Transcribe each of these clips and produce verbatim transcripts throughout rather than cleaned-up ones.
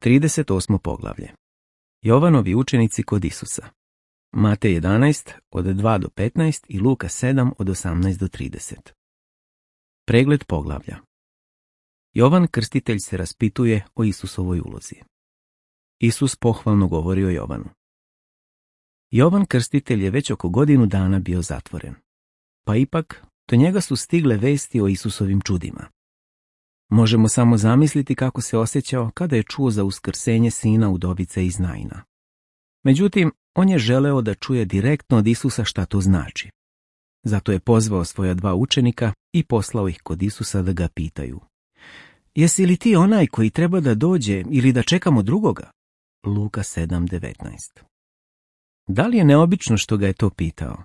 trideset osmo poglavlje. Jovanovi učenici kod Isusa. Matej jedanaest od dva do petnaest i Luka sedam od osamnaest do trideset. Pregled poglavlja. Jovan Krstitelj se raspituje o Isusovoj ulozi. Isus pohvalno govori o Jovanu. Jovan Krstitelj je već oko godinu dana bio zatvoren. Pa ipak, do njega su stigle vesti o Isusovim čudima. Možemo samo zamisliti kako se osjećao kada je čuo za uskrsenje sina udovice iz Naina. Međutim, on je želeo da čuje direktno od Isusa šta to znači. Zato je pozvao svoja dva učenika i poslao ih kod Isusa da ga pitaju. Jesi li ti onaj koji treba da dođe ili da čekamo drugoga? Luka sedam devetnaest. Da li je neobično što ga je to pitao?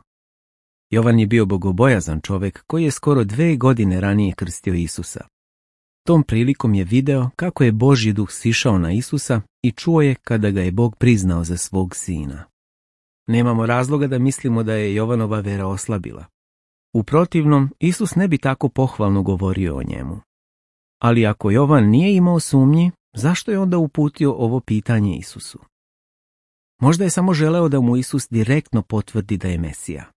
Jovan je bio bogobojazan čovjek koji je skoro dve godine ranije krstio Isusa. Tom prilikom je video kako je Božji duh sišao na Isusa i čuo je kada ga je Bog priznao za svog sina. Nemamo razloga da mislimo da je Jovanova vera oslabila. U protivnom, Isus ne bi tako pohvalno govorio o njemu. Ali ako Jovan nije imao sumnji, zašto je onda uputio ovo pitanje Isusu? Možda je samo želeo da mu Isus direktno potvrdi da je Mesija.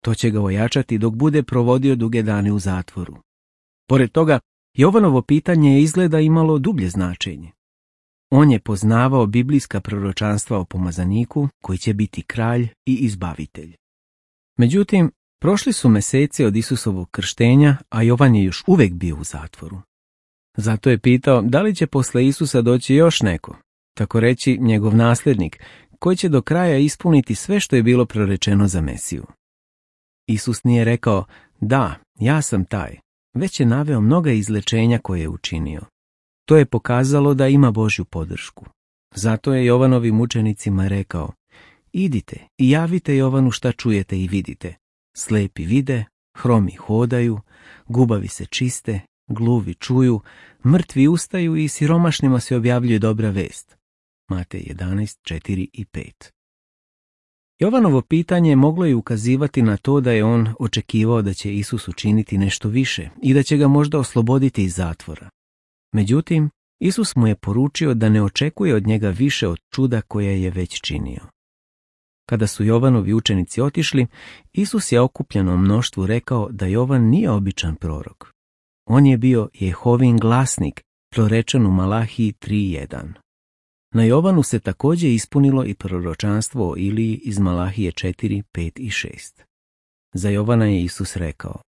To će ga ojačati dok bude provodio duge dane u zatvoru. Pored toga, Jovanovo pitanje je izgleda imalo dublje značenje. On je poznavao biblijska proročanstva o pomazaniku koji će biti kralj i izbavitelj. Međutim, prošli su meseci od Isusovog krštenja, a Jovan je još uvijek bio u zatvoru. Zato je pitao da li će posle Isusa doći još neko, tako reći njegov nasljednik, koji će do kraja ispuniti sve što je bilo prorečeno za Mesiju. Isus nije rekao, da, ja sam taj, već je naveo mnoga izlečenja koje je učinio. To je pokazalo da ima Božju podršku. Zato je Jovanovim učenicima rekao, idite i javite Jovanu šta čujete i vidite. Slepi vide, hromi hodaju, gubavi se čiste, gluvi čuju, mrtvi ustaju i siromašnima se objavljuje dobra vest. Matej jedanaest četiri i pet. Jovanovo pitanje moglo je ukazivati na to da je on očekivao da će Isus učiniti nešto više i da će ga možda osloboditi iz zatvora. Međutim, Isus mu je poručio da ne očekuje od njega više od čuda koje je već činio. Kada su Jovanovi učenici otišli, Isus je okupljenom mnoštvu rekao da Jovan nije običan prorok. On je bio Jehovin glasnik, prorečen u Malahiji tri jedan. Na Jovanu se također ispunilo i proročanstvo o Iliji iz Malahije četiri pet i šest. Za Jovana je Isus rekao,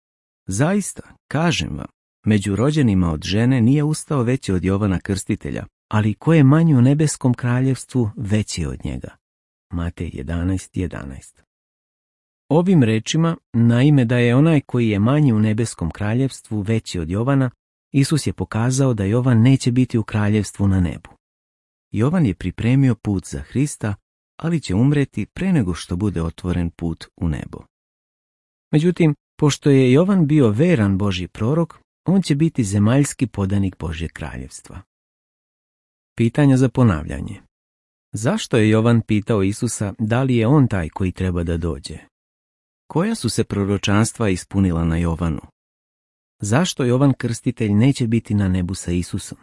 zaista, kažem vam, među rođenima od žene nije ustao veći od Jovana Krstitelja, ali ko je manji u nebeskom kraljevstvu, veći od njega. Matej jedanaest jedanaest. Ovim rečima, naime da je onaj koji je manji u nebeskom kraljevstvu veći od Jovana, Isus je pokazao da Jovan neće biti u kraljevstvu na nebu. Jovan je pripremio put za Hrista, ali će umreti pre nego što bude otvoren put u nebo. Međutim, pošto je Jovan bio veran Božji prorok, on će biti zemaljski podanik Božjeg kraljevstva. Pitanja za ponavljanje. Zašto je Jovan pitao Isusa da li je on taj koji treba da dođe? Koja su se proročanstva ispunila na Jovanu? Zašto Jovan Krstitelj neće biti na nebu sa Isusom?